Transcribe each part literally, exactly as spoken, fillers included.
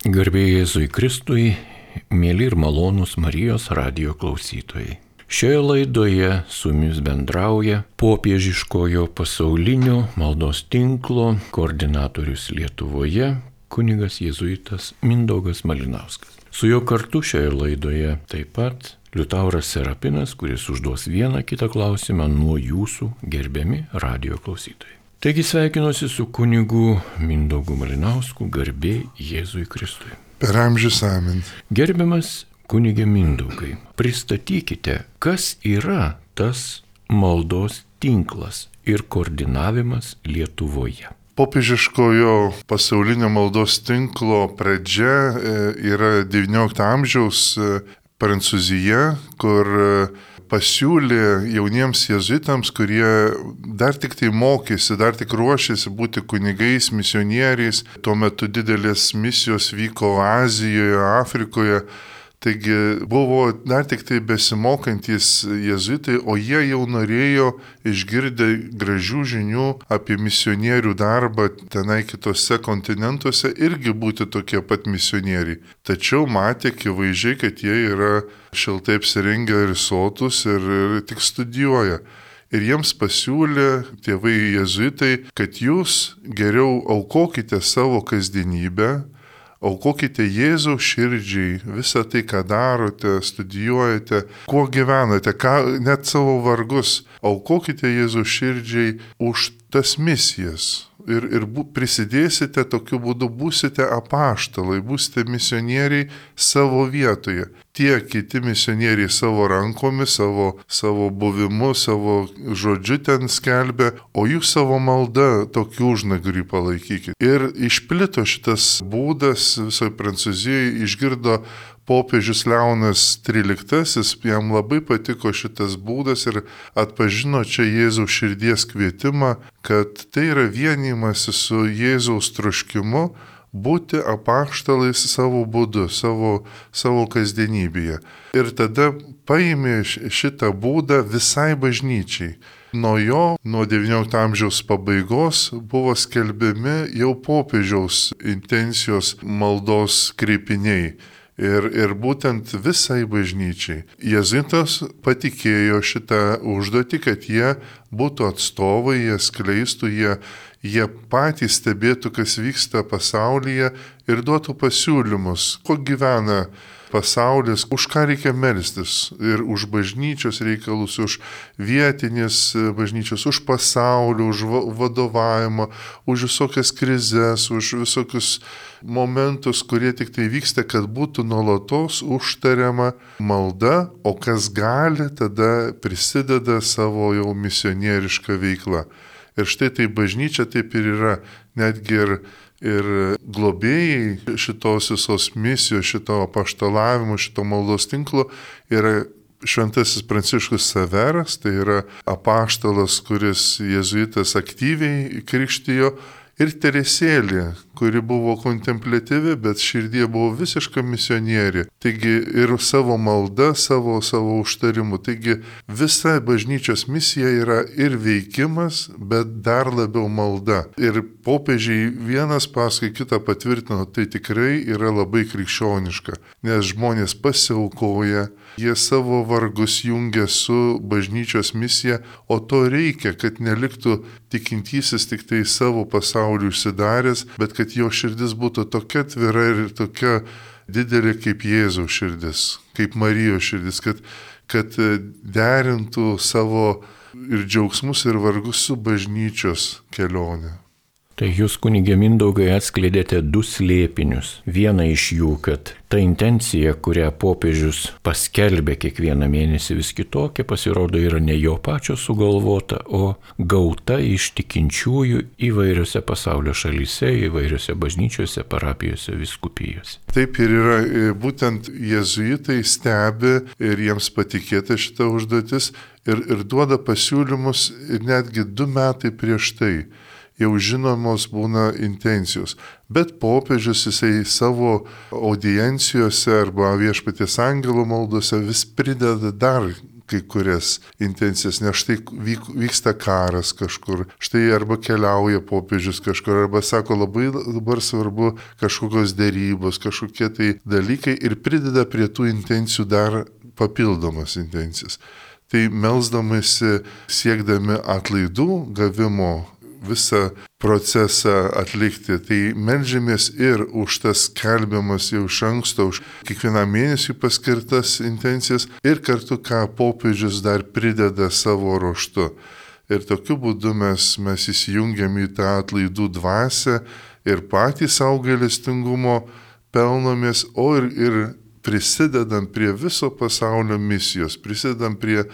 Garbė Jėzui Kristui, mėly ir malonūs Marijos radijo klausytojai. Šioje laidoje su jumis bendrauja popiežiškojo pasaulinio maldos tinklo koordinatorius Lietuvoje, kunigas jėzuitas Mindaugas Malinauskas. Su juo kartu šioje laidoje taip pat Liutauras Serapinas, kuris užduos vieną kitą klausimą nuo jūsų gerbiami radijo klausytojai. Taigi sveikinuosi su kunigu Mindaugu Malinausku, garbė Jėzui Kristui. Per amžius amen. Gerbiamas kunige Mindaugai, pristatykite, kas yra tas maldos tinklas ir koordinavimas Lietuvoje. Popiežiškojo pasaulinio maldos tinklo pradžia yra devyniolikto amžiaus Prancūzija, kur pasiūlė jauniems jėzuitams, kurie dar tik tai mokėsi, dar tik ruošėsi būti kunigais, misionieriais. Tuo metu didelės misijos vyko Azijoje, Afrikoje. Taigi buvo dar tik tai besimokantis jėzuitai, o jie jau norėjo išgirdę gražių žinių apie misionierių darbą tenai kitose kontinentuose irgi būti tokie pat misionieriai. Tačiau matė akivaizdžiai, kad jie yra šiltai apsirengę ir sotus ir, ir tik studijuoja. Ir jiems pasiūlė tėvai jėzuitai, kad jūs geriau aukokite savo kasdienybę, aukokite Jėzaus širdžiai visą tai, ką darote, studijuojate, kuo gyvenate, ką, net savo vargus. Aukokite Jėzaus širdžiai už tas misijas. Ir, ir bu, prisidėsite tokiu būdu, būsite apaštalai, būsite misionieriai savo vietoje. Tie kiti misionieriai savo rankomis, savo, savo buvimu, savo žodžiu ten skelbia, o jūs savo malda tokių užnagrių palaikykite. Ir išplito šitas būdas visoje Prancūzijoje, išgirdo popiežius Leonas tryliktasis, jam labai patiko šitas būdas ir atpažino čia Jėzaus širdies kvietimą, kad tai yra vienijimasis su Jėzaus troškimu būti apaštalais savo būdu, savo, savo kasdienybėje. Ir tada paėmė šitą būdą visai bažnyčiai. Nuo jo, nuo devyniolikto amžiaus pabaigos buvo skelbiami jau popiežiaus intencijos maldos kreipiniai. Ir, ir būtent visai bažnyčiai. Jėzuitas patikėjo šitą užduotį, kad jie būtų atstovai, jie skleistų, jie, jie patys stebėtų, kas vyksta pasaulyje ir duotų pasiūlymus, kuo gyvena pasaulis, už ką reikia melstis ir už bažnyčios reikalus, už vietinės bažnyčios, už pasaulį, už vadovavimą, už visokias krizes, už visokius momentus, kurie tik tai vyksta, kad būtų nuolatos užtariama malda, o kas gali, tada prisideda savo jau misionierišką veiklą. Ir štai tai bažnyčia taip ir yra, netgi ir Ir globėjai šitos visos misijos, šito apaštalavimo, šito maldos tinklo yra šventasis Pranciškus Saveras, tai yra apaštalas, kuris jėzuitas aktyviai krikštijo, ir Teresėlė, kuri buvo kontempliatyvi, bet širdie buvo visiška misionierė. Taigi ir savo malda, savo, savo užtarimu. Taigi visa bažnyčios misija yra ir veikimas, bet dar labiau malda. Ir popiežiai vienas paskui kitą patvirtino, tai tikrai yra labai krikščioniška, nes žmonės pasiaukoja, jie savo vargus jungia su bažnyčios misija, o to reikia, kad neliktų tikintysis tik tai savo pasauliu užsidaręs, bet kad jo širdis būtų tokia atvira ir tokia didelė kaip Jėzaus širdis, kaip Marijos širdis, kad, kad derintų savo ir džiaugsmus ir vargus su bažnyčios kelionė. Tai jūs, kunige Mindaugai, atskleidėte du slėpinius. Vieną iš jų, kad ta intencija, kurią popiežius paskelbė kiekvieną mėnesį vis kitokia, pasirodo yra ne jo pačio sugalvota, o gauta iš tikinčiųjų įvairiose pasaulio šalyse, įvairiose bažnyčiose, parapijose, vyskupijose. Taip ir yra, būtent jėzuitai stebi ir jiems patikėta šita užduotis ir, ir duoda pasiūlymus ir netgi du metai prieš tai. Jau žinomos būna intencijos. Bet popiežius jisai savo audiencijose arba viešpaties angelo maldose vis prideda dar kai kurias intencijas, nes štai vyk, vyksta karas kažkur, štai arba keliauja popiežius kažkur, arba sako labai dabar svarbu kažkokios dėrybos, kažkokie tai dalykai ir prideda prie tų intencijų dar papildomas intencijas. Tai melsdamasi, siekdami atlaidų gavimo visą procesą atlikti, tai meldžiamės ir už tas skelbiamas jau iš anksto, už kiekvieną mėnesį paskirtas intencijas ir kartu, ką popiežius dar prideda savo ruožtu. Ir tokiu būdu mes, mes įsijungiam į tą atlaidų dvasią ir patys savo gailestingumo pelnomės, o ir, ir prisidedam prie viso pasaulio misijos, prisidedam prie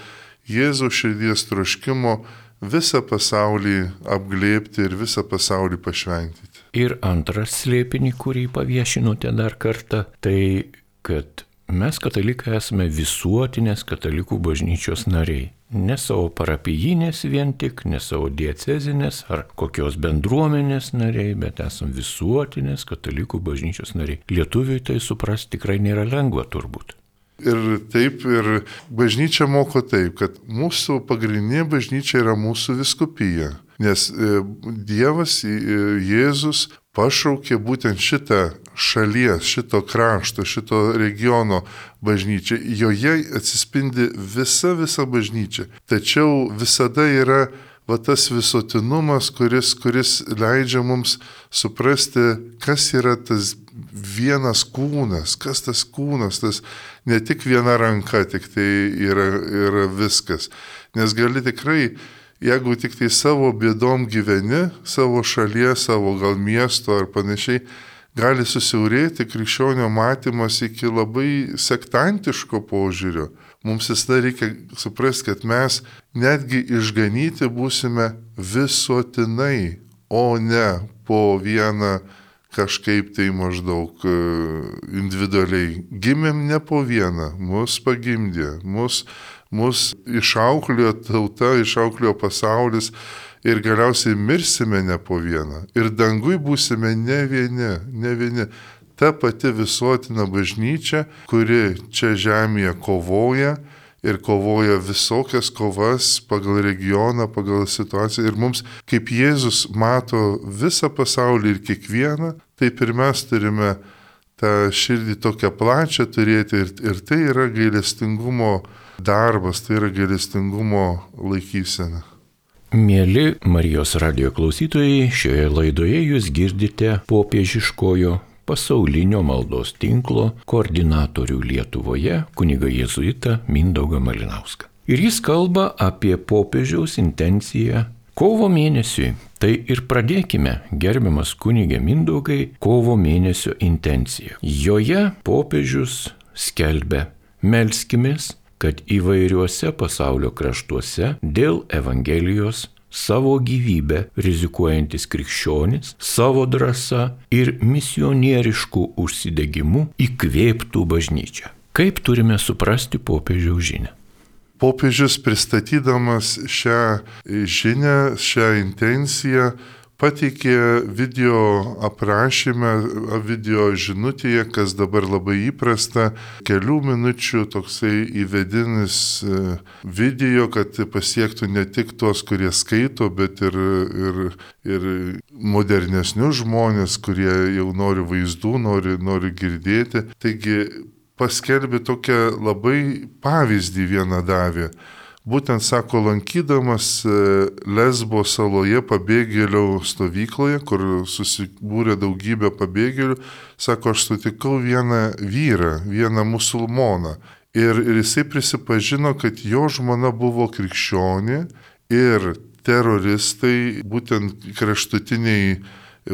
Jėzaus širdies troškimo visą pasaulį apglėbti ir visą pasaulį pašventyti. Ir antras slėpinį, kurį paviešinote dar kartą, tai kad mes katalikai esame visuotinės katalikų bažnyčios nariai. Ne savo parapijinės vien tik, ne savo diecezinės ar kokios bendruomenės nariai, bet esame visuotinės katalikų bažnyčios nariai. Lietuviui tai suprasti tikrai nėra lengva turbūt. Ir taip, ir bažnyčia moko taip, kad mūsų pagrindinė bažnyčia yra mūsų vyskupija, nes Dievas, Jėzus pašaukė būtent šitą šalies, šito krašto, šito regiono bažnyčią. Joje atsispindi visa, visa bažnyčia. Tačiau visada yra va tas visuotinumas, kuris, kuris leidžia mums suprasti, kas yra tas vienas kūnas, kas tas kūnas, tas ne tik viena ranka, tik tai yra, yra viskas. Nes gali tikrai, jeigu tik tai savo bėdom gyveni, savo šalies, savo gal miesto ar panašiai, gali susiaurėti krikščionio matymas iki labai sektantiško požiūrio. Mums visada reikia suprasti, kad mes netgi išganyti būsime visuotinai, o ne po vieną kažkaip tai maždaug individualiai. Gimėm ne po vieną, mus pagimdė, mus, mus išauklėjo tauta, išauklėjo pasaulis ir galiausiai mirsime ne po vieną. Ir dangui būsime ne vieni, ne vieni. Ta pati visuotina bažnyčia, kuri čia žemėje kovoja ir kovoja visokias kovas pagal regioną, pagal situaciją. Ir mums, kaip Jėzus mato visą pasaulį ir kiekvieną, taip ir mes turime tą širdį tokią plačią turėti. Ir, ir tai yra gailestingumo darbas, tai yra gailestingumo laikysena. Mieli Marijos radijo klausytojai, šioje laidoje jūs girdite popiežiškojo pasaulinio maldos tinklo koordinatorių Lietuvoje kunigą jėzuitą Mindaugą Malinauską. Ir jis kalba apie popiežiaus intenciją kovo mėnesiui. Tai ir pradėkime, gerbiamas kunigė Mindaugai, kovo mėnesio intenciją. Joje popiežius skelbia: melskimės, kad įvairiuose pasaulio kraštuose dėl Evangelijos savo gyvybę rizikuojantis krikščionis savo drąsa ir misionieriškų užsidegimu įkvėptų bažnyčią. Kaip turime suprasti popiežiaus žinią? Popiežius pristatydamas šią žinią, šią intenciją, pateikė video aprašymę, video žinutėje, kas dabar labai įprasta, kelių minučių toksai įvedinis video, kad pasiektų ne tik tuos, kurie skaito, bet ir, ir, ir modernesnius žmonės, kurie jau nori vaizdų, nori, nori girdėti. Taigi paskelbė tokią labai pavyzdį vieną davė. Būtent, sako, lankydamas Lesbo saloje pabėgėlių stovykloje, kur susibūrė daugybė pabėgėlių, sako, aš sutikau vieną vyrą, vieną musulmoną. Ir, ir jisai prisipažino, kad jo žmona buvo krikščionė ir teroristai, būtent kraštutiniai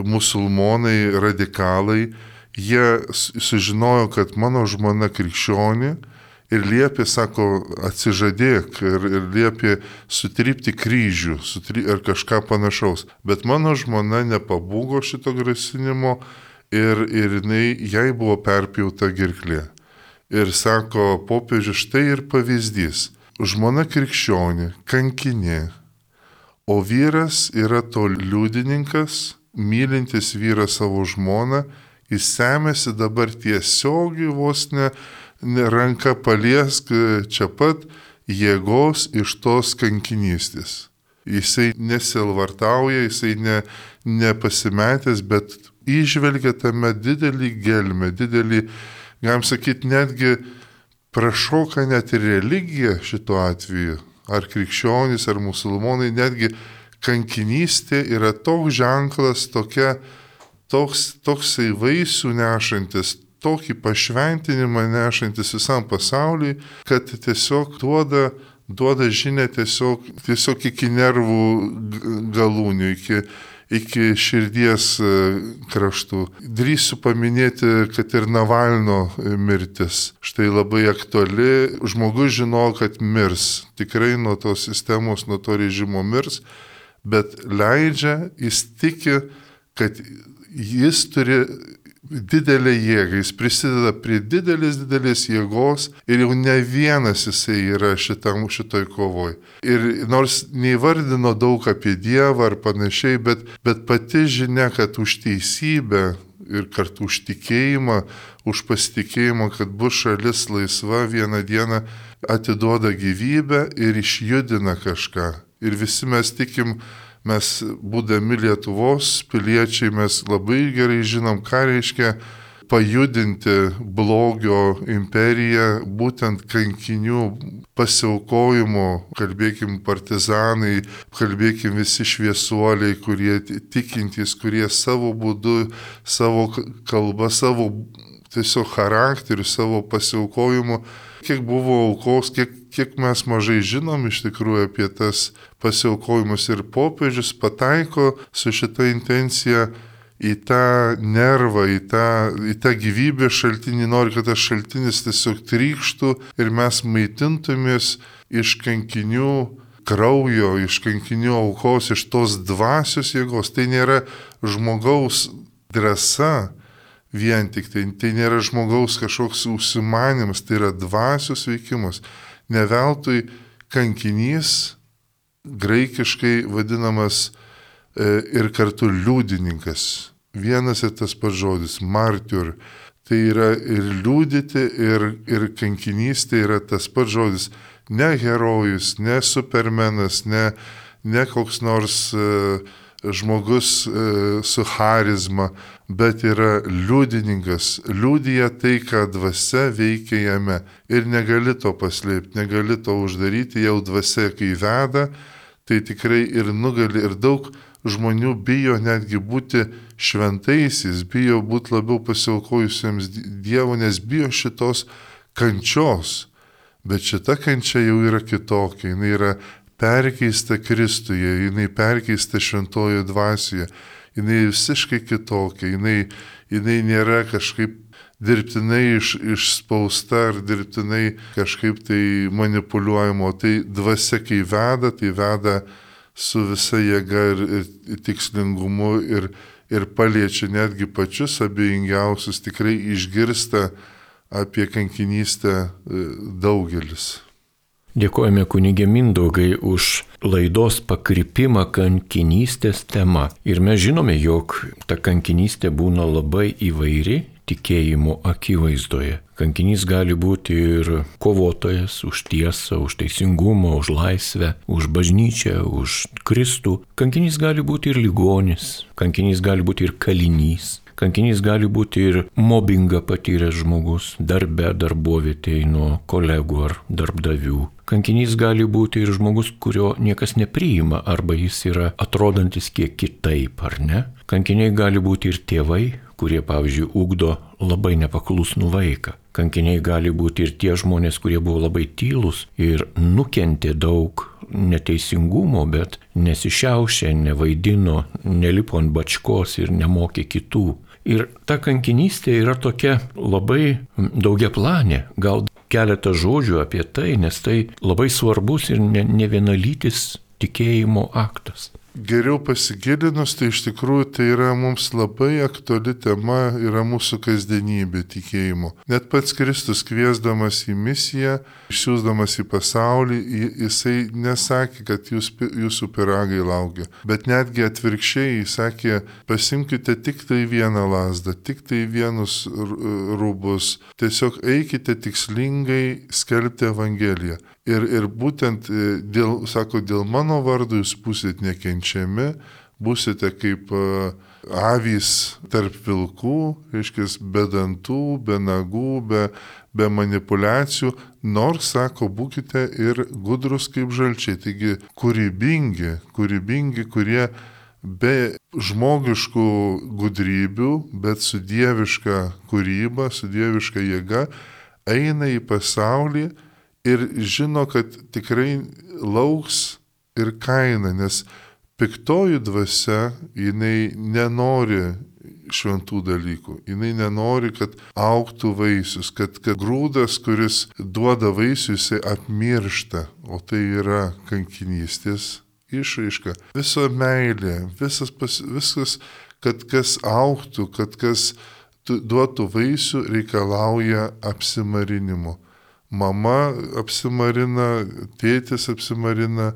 musulmonai, radikalai, jie sužinojo, kad mano žmona krikščionė, ir liepė, sako, atsižadėk, ir, ir liepė sutrypti kryžių, sutry, ar kažką panašaus. Bet mano žmona nepabūgo šito grasinimo ir, ir jinai, jai buvo perpjauta gerklė. Ir sako, popiežius, štai ir pavyzdys. Žmona krikščionė, kankinė, o vyras yra to liudininkas, mylintis vyras savo žmoną, jis semėsi dabar tiesiogiai vos ne ranka paliesk čia pat, jėgos iš tos kankinystės. Jisai nesilvartauja, jisai ne, nepasimetęs, bet įžvelgia tame didelį gelmę, didelį, galim sakyti, netgi prašoka net ir religija šituo atveju, ar krikščionys, ar musulmonai, netgi kankinystė yra toks ženklas, tokia, toks, toksai vaisių nešantis, tokį pašventinimą nešantis visam pasauliui, kad tiesiog duoda, duoda žinia tiesiog, tiesiog iki nervų galūnių, iki, iki širdies kraštų. Drįsiu paminėti, kad ir Navalno mirtis. Štai labai aktuali. Žmogus žino, kad mirs. Tikrai nuo tos sistemos, nuo to režimo mirs, bet leidžia, jis tiki, kad jis turi didelę jėgą, jis prisideda prie didelės, didelės jėgos ir jau ne vienas jisai yra šitam, šitoj kovoj. Ir nors neįvardino daug apie Dievą ar panašiai, bet, bet pati žinia, kad už teisybę ir kartu už tikėjimą, už pasitikėjimą, kad bus šalis laisva, vieną dieną atiduoda gyvybę ir išjudina kažką. Ir visi mes tikim, mes būdami Lietuvos piliečiai, mes labai gerai žinom, ką reiškia pajudinti blogio imperiją, būtent kankinių pasiaukojimo, kalbėkim partizanai, kalbėkim visi šviesuoliai, kurie tikintys, kurie savo būdu, savo kalba, savo tiesiog charakteriu, savo pasiaukojimu, kiek buvo aukos, kiek, kiek mes mažai žinom iš tikrųjų apie tas pasiaukojimus, ir popiežius pataiko su šita intencija į tą nervą, į tą, į tą gyvybės šaltinį, nori, kad tas šaltinis tiesiog trykštų ir mes maitintumės iš kankinių kraujo, iš kankinių aukos, iš tos dvasios jėgos. Tai nėra žmogaus drąsa vien tik, tai, tai nėra žmogaus kažkoks užsimanimas, tai yra dvasios veikimas. Ne veltui kankinys graikiškai vadinamas e, ir kartu liudininkas. Vienas ir tas pats žodis, martyr. Tai yra ir liudyti, ir, ir kankinystė yra tas pats žodis. Ne herojus, ne supermenas, ne, ne koks nors e, žmogus e, su charizma, bet yra liudininkas. Liudija tai, ką dvasia veikia jame. Ir negali to paslėpti, negali to uždaryti, jau dvasia kai veda, tai tikrai ir nugali. Ir daug žmonių bijo netgi būti šventaisiais, bijo būti labiau pasiaukojusiems Dievo, nes bijo šitos kančios. Bet šita kančia jau yra kitokia, jinai yra perkeista Kristuje, jinai perkeista šventojo dvasioje, jinai visiškai kitokia, jinai, jinai nėra kažkaip dirbtinai iš, išspausta ar dirbtinai kažkaip tai manipuliuojama, tai dvasia kai veda, tai veda su visa jėga ir, ir, ir tikslingumu ir, ir paliečia netgi pačius abejingiausius, tikrai išgirsta apie kankinystę daugelis. Dėkojame kunigė Mindaugai už laidos pakrypimą kankinystės tema. Ir mes žinome, jog ta kankinystė būna labai įvairi tikėjimo akivaizdoje. Kankinys gali būti ir kovotojas už tiesą, už teisingumą, už laisvę, už bažnyčią, už Kristų. Kankinys gali būti ir ligonis, kankinys gali būti ir kalinys. Kankinys gali būti ir mobbingą patyręs žmogus, darbe, darbovietėje nuo kolegų ar darbdavių. Kankinys gali būti ir žmogus, kurio niekas nepriima, arba jis yra atrodantis kiek kitaip, ar ne? Kankiniai gali būti ir tėvai, kurie, pavyzdžiui, ugdo labai nepaklusnų vaiką. Kankiniai gali būti ir tie žmonės, kurie buvo labai tylūs ir nukentė daug neteisingumo, bet nesišiaušė, nevaidino, nelipo ant bačkos ir nemokė kitų. Ir ta kankinystė yra tokia labai daugiaplanė, gal keletą žodžių apie tai, nes tai labai svarbus ir ne, ne vienalytis tikėjimo aktas. Geriau pasigilinus, tai iš tikrųjų tai yra mums labai aktuali tema, yra mūsų kasdienybė tikėjimo. Net pats Kristus kviesdamas į misiją, išsiųsdamas į pasaulį, jisai nesakė, kad jūs, jūsų pyragai laukia, bet netgi atvirkščiai jis sakė, pasimkite tik tai vieną lazdą, tik tai vienus rūbus, tiesiog eikite tikslingai skelbti Evangeliją. Ir, ir būtent dėl, sako, dėl mano vardo jūs būsite nekenčiami, būsite kaip avys tarp vilkų, reiškia, be dantų, be nagų, be, be manipulacijų, nors, sako, būkite ir gudrus kaip žalčiai, taigi kūrybingi, kūrybingi, kurie be žmogiškų gudrybių, bet su dieviška kūryba, su dieviška jėga, eina į pasaulį ir žino, kad tikrai lauks ir kaina, nes piktoji dvasia, jinai nenori šventų dalykų, jinai nenori, kad augtų vaisius, kad, kad grūdas, kuris duoda vaisių, jisai apmiršta, o tai yra kankinystės išraiška. Visa meilė, visas, pas, viskas, kad kas augtų, kad kas duotų vaisių, reikalauja apsimarinimo. Mama apsimarina, tėtis apsimarina,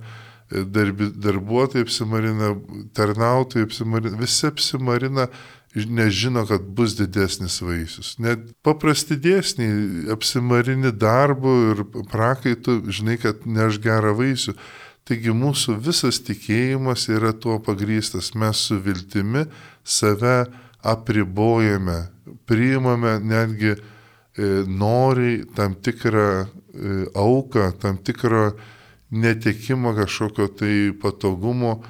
darbi, darbuotojai apsimarina, tarnautojai apsimarina, visi apsimarina, nežino, kad bus didesnis vaisius. Net paprasti dėsniai apsimarini darbu ir prakaitu, žinai, kad neš gerą vaisių. Taigi mūsų visas tikėjimas yra tuo pagrįstas. Mes su viltimi save apribojame, priimame netgi nori tam tikrą auką, tam tikrą netekimą kažkokio tai patogumo,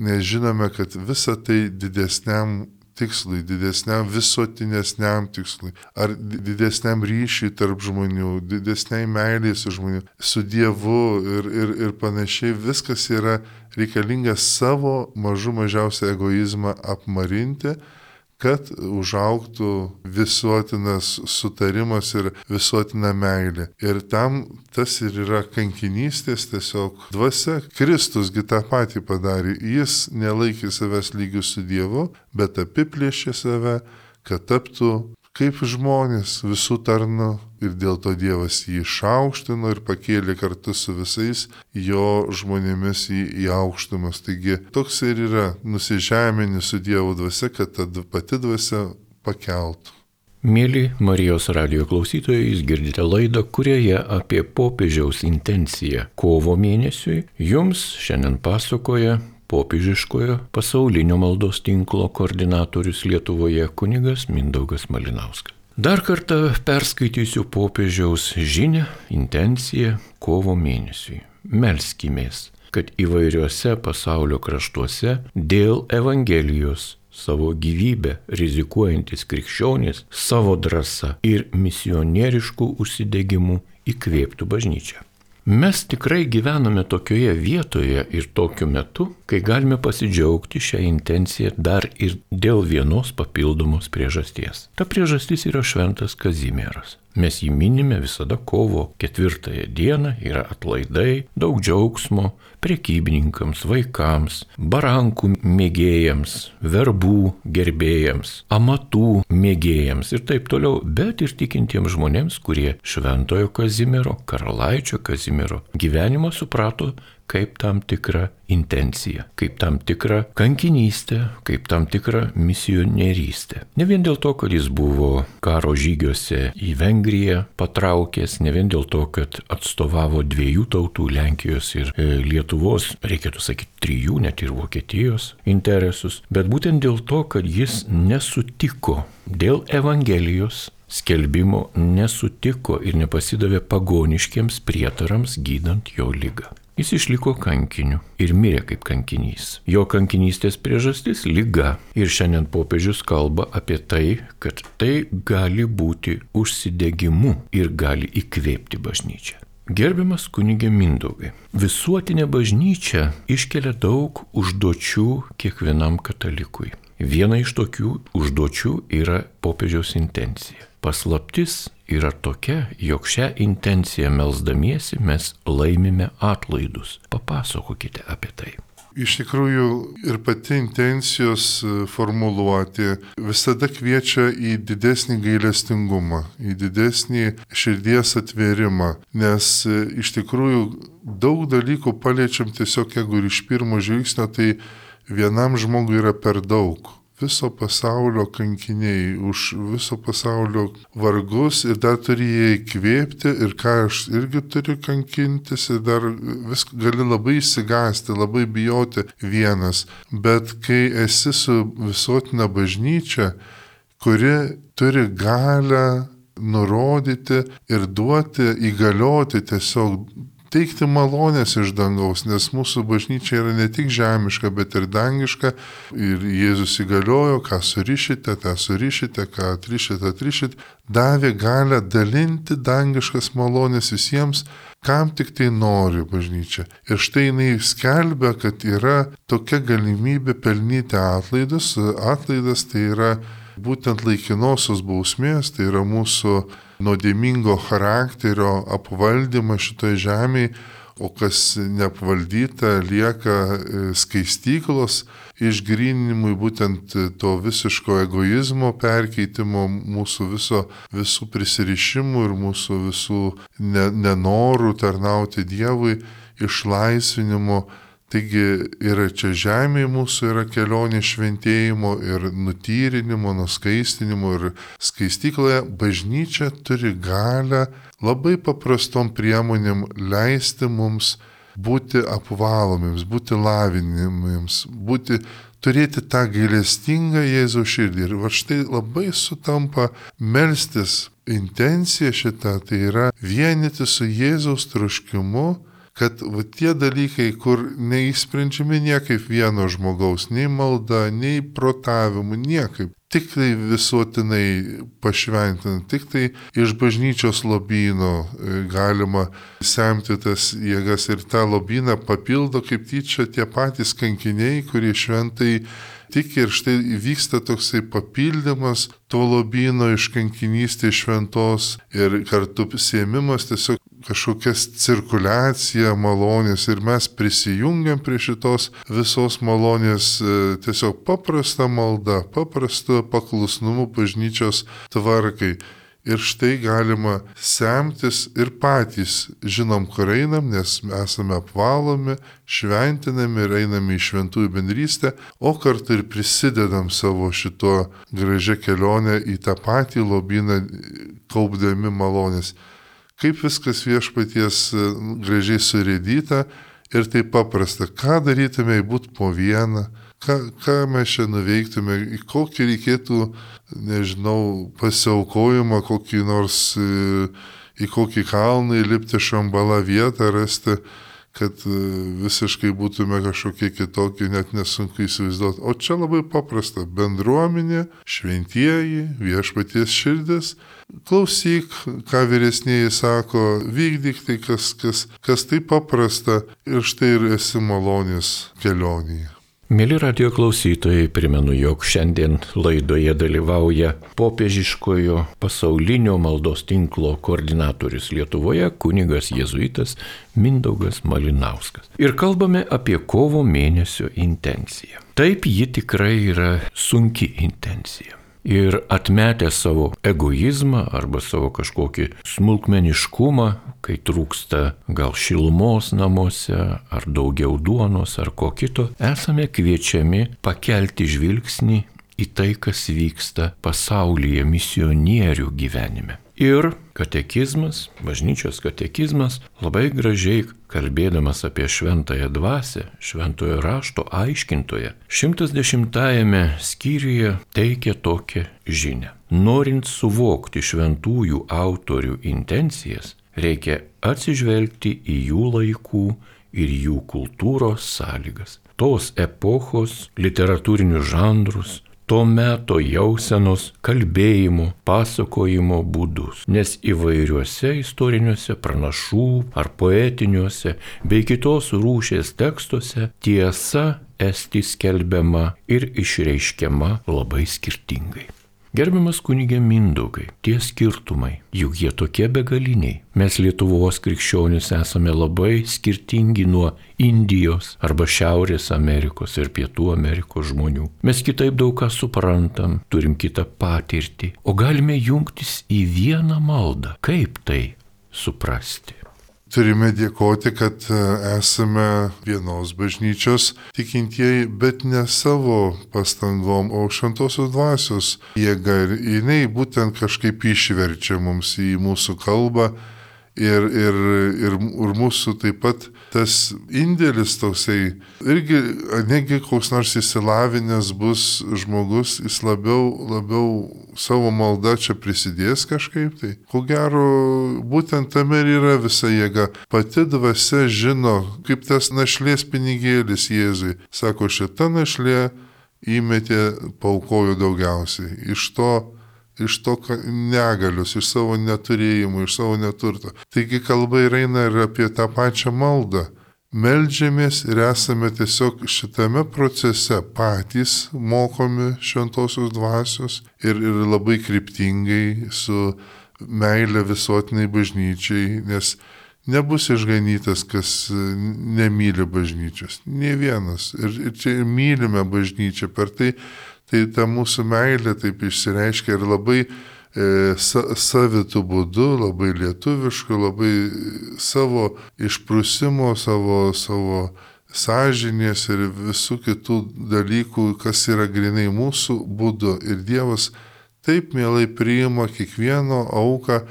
nes žinome, kad visa tai didesniam tikslui, didesniam visuotinesniam tikslui, ar didesniam ryšiui tarp žmonių, didesniai meiliai su žmonių, su Dievu ir, ir, ir panašiai, viskas yra reikalinga savo mažų mažiausią egoizmą apmarinti, kad užaugtų visuotinas sutarimas ir visuotina meilė. Ir tam tas ir yra kankinystės tiesiog dvasia. Kristusgi tą patį padarė. Jis nelaikė savęs lygių su Dievu, bet apiplėšė save, kad taptų kaip žmonės visų tarnu. Ir dėl to Dievas jį išaukštino ir pakėlė kartu su visais jo žmonėmis į, į aukštumas. Taigi toks ir yra nusižeminti su Dievo dvasia, kad ta pati dvasia pakeltų. Mėly Marijos radijo klausytojai, jūs girdite laidą, kurioje apie popiežiaus intenciją kovo mėnesiui jums šiandien pasakoja popiežiškojo pasaulinio maldos tinklo koordinatorius Lietuvoje kunigas Mindaugas Malinauskas. Dar kartą perskaitysiu popiežiaus žinią, intenciją kovo mėnesiui. Melskimės, kad įvairiuose pasaulio kraštuose dėl Evangelijos savo gyvybę rizikuojantis krikščionys savo drąsa ir misionieriškų užsidegimų įkvėptų bažnyčią. Mes tikrai gyvename tokioje vietoje ir tokiu metu, kai galime pasidžiaugti šią intenciją dar ir dėl vienos papildomos priežasties. Ta priežastis yra šventas Kazimieras. Mes jį minime visada kovo ketvirtąją dieną, yra atlaidai, daug džiaugsmo prekybininkams, vaikams, barankų mėgėjams, verbų gerbėjams, amatų mėgėjams ir taip toliau, bet ir tikintiems žmonėms, kurie šventojo Kazimiero, karalaičio Kazimiero gyvenimą suprato kaip tam tikrą intenciją, kaip tam tikrą kankinystę, kaip tam tikrą misionierystę. Ne vien dėl to, kad jis buvo karo žygiuose į Vengriją patraukęs, ne vien dėl to, kad atstovavo dviejų tautų, Lenkijos ir Lietuvos, reikėtų sakyti trijų, net ir Vokietijos interesus, bet būtent dėl to, kad jis nesutiko dėl Evangelijos skelbimo, nesutiko ir nepasidavė pagoniškiems prietarams gydant jo ligą. Jis išliko kankiniu ir mirė kaip kankinys. Jo kankinystės priežastis – liga. Ir šiandien popiežius kalba apie tai, kad tai gali būti užsidegimu ir gali įkvėpti bažnyčią. Gerbiamas kunige Mindaugai, visuotinė bažnyčia iškelia daug užduočių kiekvienam katalikui. Viena iš tokių užduočių yra popiežiaus intencija. Paslaptis yra tokia, jog šią intenciją melsdamiesi mes laimime atlaidus. Papasakokite apie tai. Iš tikrųjų ir pati intencijos formuluoti visada kviečia į didesnį gailestingumą, į didesnį širdies atvėrimą, nes iš tikrųjų daug dalykų paliečiam tiesiog, jeigu iš pirmo žvilgsnio, tai vienam žmogui yra per daug. viso pasaulio kankiniai, už viso pasaulio vargus ir dar turi jie įkvėpti ir ką aš irgi turiu kankintis ir dar vis gali labai įsigąsti, labai bijoti vienas. Bet kai esi su visuotinė bažnyčia, kuri turi galią nurodyti ir duoti, įgalioti tiesiog teikti malonės iš dangaus, nes mūsų bažnyčia yra ne tik žemiška, bet ir dangiška. Ir Jėzus įgaliojo, ką surišite, tą surišite, ką atrišite, atrišite. Davė galę dalinti dangiškas malonės visiems, kam tik tai nori bažnyčia. Ir štai jinai skelbia, kad yra tokia galimybė pelnyti atlaidus. Atlaidas tai yra būtent laikinosios bausmės, tai yra mūsų nuodėmingo charakterio apvaldymas šitoje žemėje, o kas neapvaldyta lieka skaistyklos išgryninimui, būtent to visiško egoizmo perkeitimo, mūsų viso, visų prisirišimų ir mūsų visų nenorų tarnauti Dievui, išlaisvinimo. Taigi yra čia žemėje mūsų yra kelionė šventėjimo ir nutyrinimo, nuskaistinimo ir skaistykloje. Bažnyčia turi galę labai paprastom priemonėm leisti mums būti apvalomiems, būti lavinimiems, būti, turėti tą gailestingą Jėzaus širdį. Ir va štai labai sutampa melstis intencija šita, tai yra vienyti su Jėzaus troškimu, kad va, tie dalykai, kur neįsprendžiami niekaip vieno žmogaus, nei malda, nei protavimu, niekaip, tik tai visuotinai pašventinant, tik tai iš bažnyčios lobyno galima semti tas jėgas ir tą lobyną papildo kaip tyčia tie patys kankiniai, kurie šventai tiki ir štai vyksta toksai papildymas to lobyno iš kankinystės šventos ir kartu sėmimas tiesiog kažkokias cirkuliacija malonės ir mes prisijungiam prie šitos visos malonės tiesiog paprasta malda, paprastu paklusnumu bažnyčios tvarkai. Ir štai galima semtis ir patys žinom, kur einam, nes esame apvalomi, šventinami ir einame į šventųjų bendrystę, o kartu ir prisidedam savo šito gražią kelionę į tą patį lobyną, kaupdami malonės. Kaip viskas viešpaties gražiai surėdyta ir taip paprasta. Ką darytume, jei būtų po vieną, ką, ką mes čia nuveiktume, į kokį reikėtų, nežinau, pasiaukojimą, kokį nors, į kokį kalną įlipti šambalą vietą rasti, kad visiškai būtume kažkokie kitokie, net nesunku įsivaizduoti. O čia labai paprasta. Bendruomenė, šventieji, viešpaties širdis. Klausyk, ką vyresnieji sako, vykdyk tai, kas, kas, kas tai paprasta ir štai ir esi malonės kelionėje. Mėly radio klausytojai, primenu, jog šiandien laidoje dalyvauja popiežiškojo pasaulinio maldos tinklo koordinatorius Lietuvoje kunigas jėzuitas Mindaugas Malinauskas. Ir kalbame apie kovo mėnesio intenciją. Taip, ji tikrai yra sunki intencija. Ir atmetę savo egoizmą arba savo kažkokį smulkmeniškumą, kai trūksta gal šilumos namuose, ar daugiau duonos, ar ko kito, esame kviečiami pakelti žvilgsnį į tai, kas vyksta pasaulyje misionierių gyvenime. Ir katekizmas, bažnyčios katekizmas, labai gražiai kalbėdamas apie šventąją dvasią, šventojo rašto aiškintoje, šimtas dešimtajame skyriuje teikia tokią žinią. Norint suvokti šventųjų autorių intencijas, reikia atsižvelgti į jų laikų ir jų kultūros sąlygas, tos epochos literatūrinius žanrus, to meto jausenos, kalbėjimo, pasakojimo būdus, nes įvairiuose istoriniuose pranašų ar poetiniuose bei kitos rūšies tekstuose tiesa esti skelbiama ir išreiškiama labai skirtingai. Gerbiamas kunige Mindaugai, tie skirtumai, juk jie tokie begaliniai. Mes Lietuvos krikščionys esame labai skirtingi nuo Indijos arba Šiaurės Amerikos ir Pietų Amerikos žmonių. Mes kitaip daug ką suprantam, turim kitą patirtį, o galime jungtis į vieną maldą. Kaip tai suprasti? turime dėkoti, kad esame vienos bažnyčios tikintieji, bet ne savo pastangom, o šventosios dvasios jėga. Ir jinai būtent kažkaip išverčia mums į mūsų kalbą. Ir, ir, ir, ir mūsų taip pat tas indėlis toksai, irgi negi koks nors įsilavinęs bus žmogus, jis labiau, labiau savo maldą čia prisidės kažkaip. Tai ko gero, būtent tame ir yra visa jėga. Pati dvasia žino, kaip tas našlės pinigėlis Jėzui. Sako, šita našlė įmetė, paaukojo daugiausiai. Iš to iš to negalius, iš savo neturėjimų, iš savo neturto. Taigi kalba ir eina ir apie tą pačią maldą. Meldžiamės ir esame tiesiog šitame procese patys mokomi šventosios dvasios ir, ir labai kryptingai su meile visuotiniai bažnyčiai, nes nebus išganytas, kas nemyli bažnyčios. Nė vienas. Ir, ir čia mylime bažnyčią per tai. Tai ta mūsų meilė taip išsireiškia ir labai e, sa, savitų būdų, labai lietuviškų, labai savo išprusimo, savo, savo sąžinės ir visų kitų dalykų, kas yra grinai mūsų būdu. Ir Dievas taip mielai priima kiekvieno auką,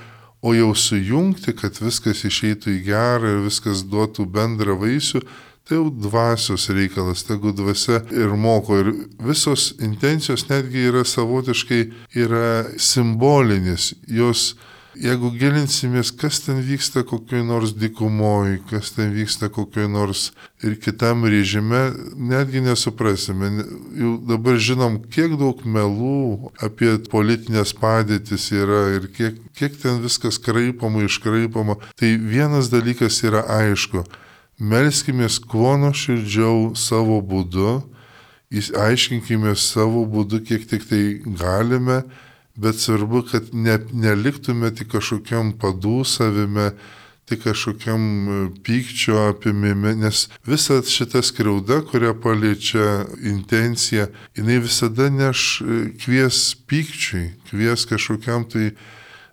o jau sujungti, kad viskas išeitų į gerą ir viskas duotų bendrą vaisių, tai jau dvasios reikalas, tegu dvasia ir moko. Ir visos intencijos netgi yra savotiškai yra simbolinės. Jos, jeigu gilinsimės, kas ten vyksta kokioj nors dykumoj, kas ten vyksta kokioj nors ir kitam režime, netgi nesuprasime. Jau dabar žinom, kiek daug melų apie politinės padėtis yra ir kiek, kiek ten viskas kraipama, iškraipama. Tai vienas dalykas yra aišku. Melskimės kuo nuoširdžiau savo būdu, aiškinkime savo būdu, kiek tik tai galime, bet svarbu, kad ne, neliktume tik kažkokiam padūsavime, tik kažkokiam pykčio apimime, nes visa šita skriauda, kurią paliečia intencija, jinai visada neš kvies pykčiui, kvies kažkokiam tai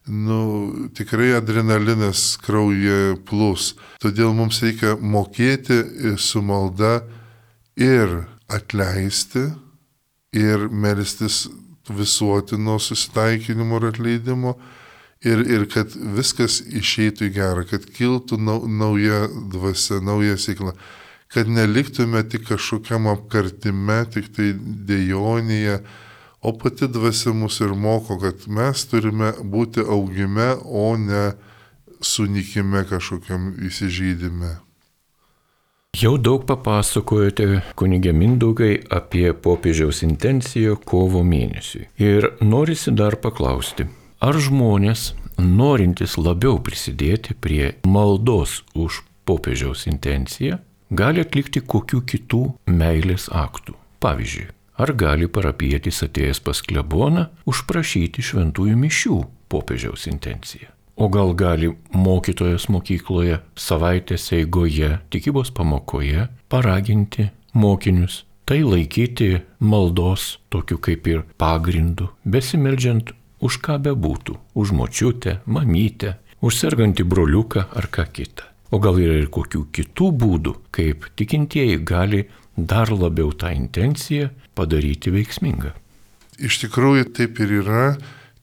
nu, tikrai adrenalinas kraujyje plūs. Todėl mums reikia mokėti su malda ir atleisti, ir melstis visuotino susitaikinimo ir atleidimo, ir, ir kad viskas išeitų į gerą, kad kiltų nau, nauja dvasia, nauja sėkla, kad neliktume tik kažkokiam apkartime, tik tai dejonėje, o pati dvasia mus ir moko, kad mes turime būti augime, o ne sunikime kažkokiam įsižeidime. Jau daug papasakojote, kunige Mindaugai, apie popiežiaus intenciją kovo mėnesiui. Ir norisi dar paklausti, ar žmonės, norintys labiau prisidėti prie maldos už popiežiaus intenciją, gali atlikti kokių kitų meilės aktų? Pavyzdžiui, ar gali parapietis atėjęs pas kleboną užprašyti šventųjų mišių popiežiaus intenciją? O gal gali mokytojas mokykloje savaitės eigoje, tikybos pamokoje paraginti mokinius tai laikyti maldos tokiu kaip ir pagrindu, besimeldžiant už ką bebūtų, už močiutę, mamytę, už sergantį broliuką ar ką kitą. O gal yra ir kokių kitų būdų, kaip tikintieji gali dar labiau tą intenciją padaryti veiksmingą. Iš tikrųjų taip ir yra.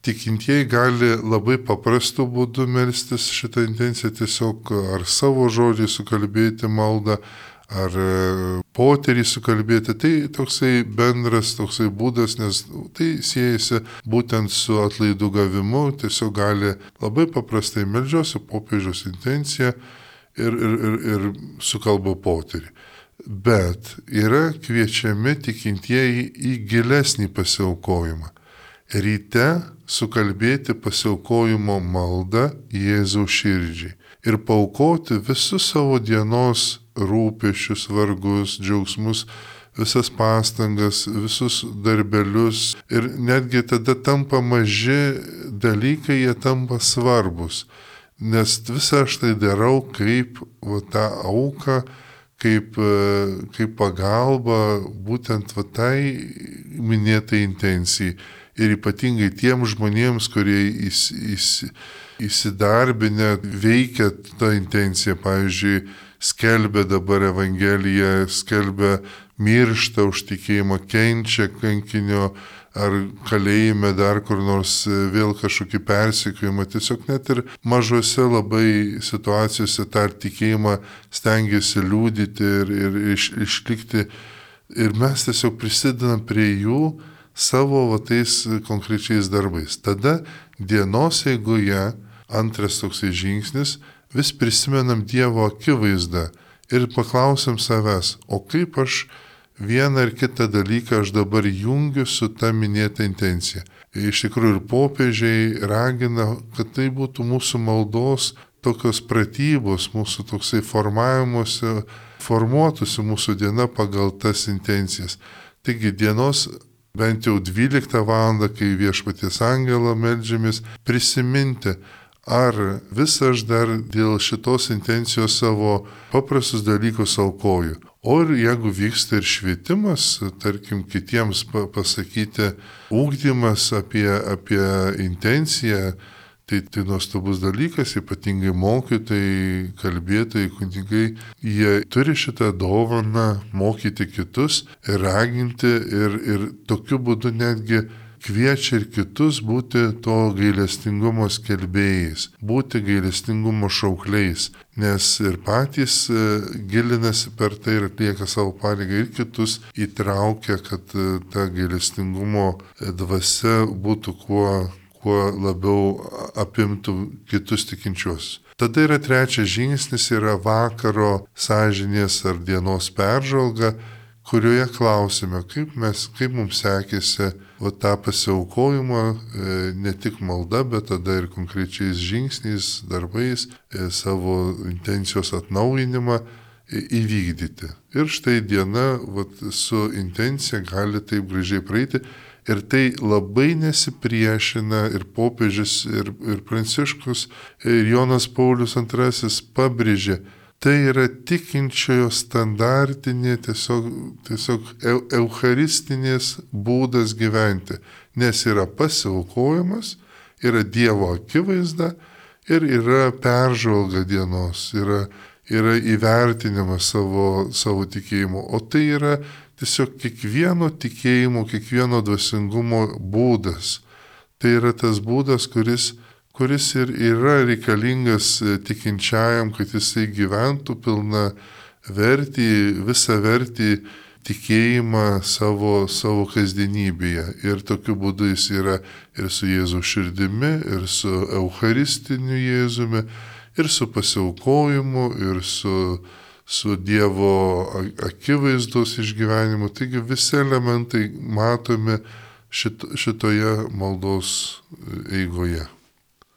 Tikintieji gali labai paprastu būdu melstis šitą intenciją, tiesiog ar savo žodžiai sukalbėti maldą, ar poterį sukalbėti. Tai toksai bendras toksai būdas, nes tai siejasi būtent su atlaidų gavimu. Tiesiog gali labai paprastai meldžiuosi popiežiaus intenciją ir, ir, ir, ir sukalba poterį. Bet yra kviečiami tikintieji į gilesnį pasiaukojimą. Ryte sukalbėti pasiaukojimo maldą Jėzaus širdžiai ir paaukoti visus savo dienos rūpesčius, vargus, džiaugsmus, visas pastangas, visus darbelius. Ir netgi tada tampa maži dalykai, jie tampa svarbus. Nes visą aš tai darau kaip va, tą auką, kaip, kaip pagalba būtent va, tai minėtai intencijai. ir ypatingai tiem žmonėms, kurie įs, įs, įsidarbinę veikia tą intenciją, pavyzdžiui, skelbia dabar Evangeliją, skelbia mirštą už tikėjimą, kenčia kankinio ar kalėjime dar kur nors vėl kažkokį persekiojimą. Tiesiog net ir mažose labai situacijose tą tikėjimą stengiasi liūdyti ir, ir iš, išlikti. Ir mes tiesiog prisidedam prie jų savo va, tais konkrečiais darbais. Tada dienos eigoje antras toksai žingsnis, vis prisimenam Dievo akivaizdą ir paklausim savęs, o kaip aš vieną ar kitą dalyką aš dabar jungiu su ta minėta intencija. Iš tikrųjų ir popiežiai ragina, kad tai būtų mūsų maldos tokios pratybos, mūsų toksai formavimuose, formuotųsi mūsų diena pagal tas intencijas. Taigi dienos bent jau dvyliktą valandą, kai viešpaties angelą meldžiamės, prisiminti, ar vis aš dar dėl šitos intencijos savo paprastus dalykus aukoju. O ir jeigu vyksta ir švietimas, tarkim, kitiems pasakyti ugdymas apie, apie intenciją, tai tai nuostabus dalykas, ypatingai mokytojai, kalbėtojai, kunigai, jie turi šitą dovaną mokyti kitus ir raginti ir, ir tokiu būdu netgi kviečia ir kitus būti to gailestingumo skelbėjais, būti gailestingumo šaukliais, nes ir patys gilinasi per tai ir atlieka savo pareigą ir kitus įtraukia, kad ta gailestingumo dvasia būtų kuo, kuo labiau apimtų kitus tikinčiuosius. Tada yra trečias žingsnis, yra vakaro sąžinės ar dienos peržvalga, kurioje klausime, kaip, mes, kaip mums sekėsi va, tą pasiaukojimą, ne tik malda, bet tada ir konkrečiais žingsniais, darbais, savo intencijos atnaujinimą įvykdyti. Ir štai diena va, su intencija gali taip gražiai praeiti ir tai labai nesipriešina ir popiežius, ir, ir Pranciškus, ir Jonas Paulius antrasis pabrėžė, tai yra tikinčiojo standartinė, tiesiog, tiesiog eu, eucharistinės būdas gyventi, nes yra pasiaukojimas, yra Dievo akivaizda ir yra peržvalga dienos, yra, yra įvertinimas savo, savo tikėjimo, o tai yra tiesiog kiekvieno tikėjimo, kiekvieno dvasingumo būdas. Tai yra tas būdas, kuris kuris ir yra reikalingas tikinčiajam, kad jisai gyventų pilna vertį, visą vertį tikėjimą savo, savo kasdienybėje. Ir tokiu būdu jis yra ir su Jėzaus širdimi, ir su eucharistiniu Jėzumi, ir su pasiaukojimu, ir su, su Dievo akivaizdos išgyvenimu. Taigi visi elementai matomi šit, šitoje maldos eigoje.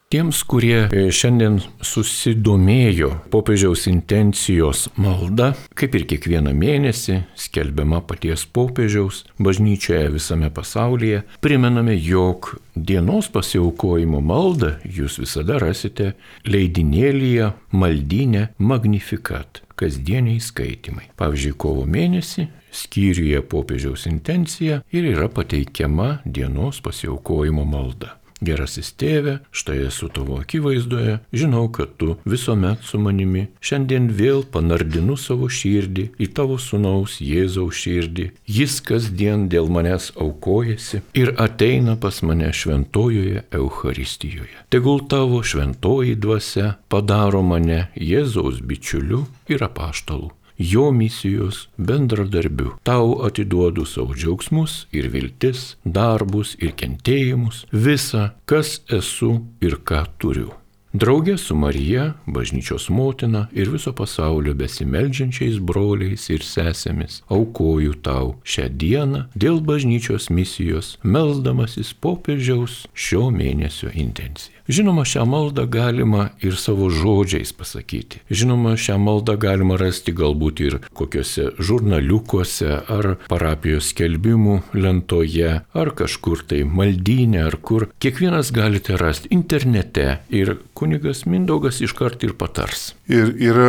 Tiems, kurie šiandien susidomėjo popiežiaus intencijos malda, kaip ir kiekvieną mėnesį skelbiama paties popiežiaus bažnyčioje visame pasaulyje, primename, jog dienos pasiaukojimo maldą jūs visada rasite leidinėlyje Maldyne Magnificat, kasdieniai skaitymai. Pavyzdžiui, kovo mėnesį skyriuje popiežiaus intencija ir yra pateikiama dienos pasiaukojimo malda. Gerasis tėve, štai esu tavo akivaizdoje, žinau, kad tu visuomet su manimi, šiandien vėl panardinu savo širdį į tavo sūnaus Jėzaus širdį, jis kasdien dėl manęs aukojasi ir ateina pas mane šventojoje Eucharistijoje. Tegul tavo šventoji dvasia padaro mane Jėzaus bičiuliu ir apaštalu, jo misijos bendradarbiu. Tau atiduodu savo džiaugsmus ir viltis, darbus ir kentėjimus, visa, kas esu ir ką turiu. Draugė su Marija, bažnyčios motina ir viso pasaulio besimeldžiančiais broliais ir sesėmis aukoju tau šią dieną dėl bažnyčios misijos, melsdamasis popiežiaus šio mėnesio intenciją. Žinoma, šią maldą galima ir savo žodžiais pasakyti. Žinoma, šią maldą galima rasti galbūt ir kokiuose žurnaliukuose, ar parapijos skelbimų lentoje, ar kažkur tai maldyne, ar kur. Kiekvienas galite rasti internete ir kunigas Mindaugas iškart ir patars. Ir yra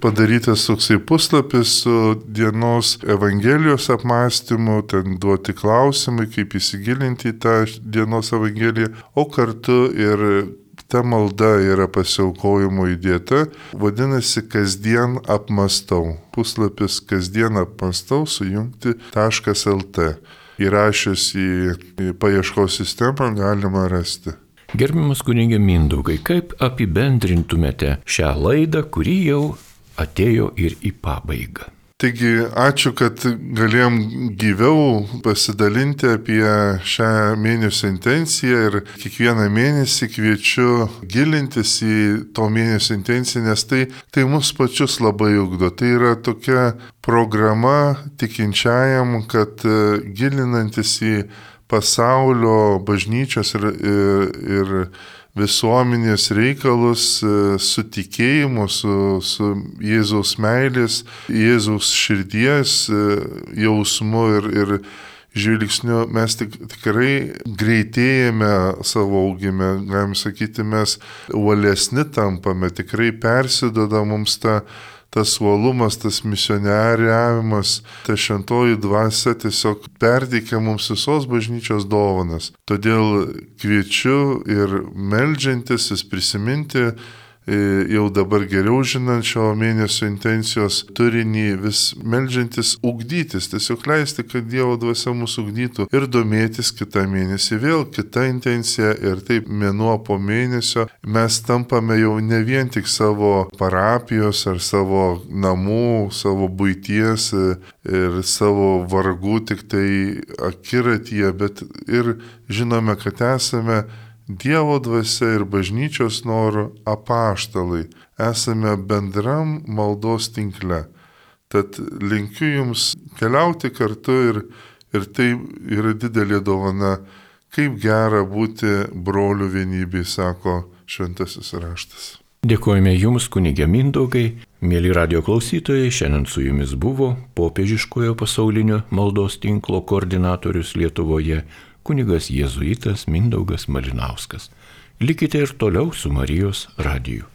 padarytas toksai puslapis su dienos Evangelijos apmąstymu, ten duoti klausimai, kaip įsigilinti į tą dienos Evangeliją, o kartu ir ta malda yra pasiaukojimo įdėta, vadinasi kasdien apmastau. Puslapis kasdien apmastau sujungti taškas lt. Įrašius į, į paieškos sistemą galima rasti. Gerbiamas kunige Mindaugai, kaip apibendrintumėte šią laidą, kuri jau atėjo ir į pabaigą? Taigi, ačiū, kad galėjom gyviau pasidalinti apie šią mėnesio intenciją ir kiekvieną mėnesį kviečiu gilintis į to mėnesio intenciją, nes tai, tai mus pačius labai ugdo. Tai yra tokia programa tikinčiajam, kad gilinantis į pasaulio bažnyčios ir, ir, ir visuomenės reikalus su tikėjimu, su, su Jėzaus meilės, Jėzaus širdies jausmu ir, ir žvilgsniu mes tik, tikrai greitėjame savo augime, galim sakyti, mes uolesni tampame, tikrai persidoda mums ta tas uolumas, tas misionieriavimas, ta šventoji dvasia tiesiog perteikia mums visos bažnyčios dovanas. Todėl kviečiu ir meldžiantis, vis prisiminti, jau dabar geriau žinant šio mėnesio intencijos turinį, vis meldžiantis ugdytis, tiesiog leisti, kad Dievo dvasia mūsų ugdytų ir domėtis kitą mėnesį. Vėl kita intencija ir taip mėnuo po mėnesio mes tampame jau ne vien tik savo parapijos ar savo namų, savo buities ir savo vargų tik tai akiratyje, bet ir žinome, kad esame Dievo dvasia ir bažnyčios norų apaštalai, esame bendram maldos tinkle. Tad linkiu jums keliauti kartu ir, ir tai yra didelė dovana, kaip gera būti brolių vienybėj, sako šventasis raštas. Dėkojame jums, kunige Mindaugai, mėly radio klausytojai, šiandien su jumis buvo popiežiškojo pasaulinio maldos tinklo koordinatorius Lietuvoje, kunigas jėzuitas Mindaugas Malinauskas. Likite ir toliau su Marijos radiju.